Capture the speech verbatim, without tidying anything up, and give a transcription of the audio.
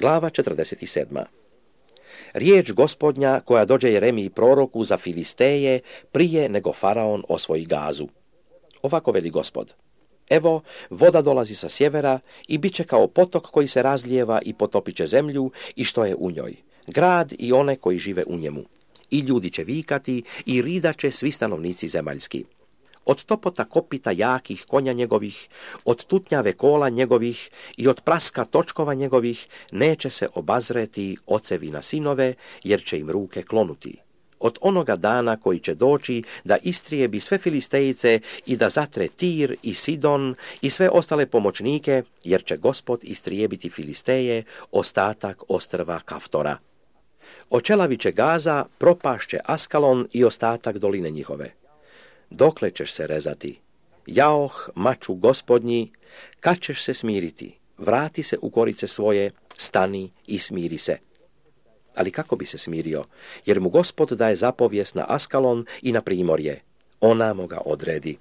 Glava četrdeset sedam. Riječ Gospodnja koja dođe Jeremiji proroku za Filisteje prije nego faraon osvoji Gazu. Ovako veli Gospod: Evo, voda dolazi sa sjevera i bit će kao potok koji se razlijeva i potopit će zemlju i što je u njoj, grad i one koji žive u njemu. I ljudi će vikati i ridaće svi stanovnici zemaljski. Od topota kopita jakih konja njegovih, od tutnjave kola njegovih i od praska točkova njegovih neće se obazreti ocevi na sinove, jer će im ruke klonuti. Od onoga dana koji će doći da istrijebi sve Filistejice i da zatre Tir i Sidon i sve ostale pomoćnike, jer će Gospod istrijebiti Filisteje, ostatak ostrva Kaftora. Očelavit će Gaza, propašće Askalon i ostatak doline njihove. Dokle ćeš se rezati? Jaoh, maču Gospodnji, kad ćeš se smiriti? Vrati se u korice svoje, stani i smiri se. Ali kako bi se smirio, jer mu Gospod daje zapovijest na Askalon i na primorje. Ona mu ga odredi.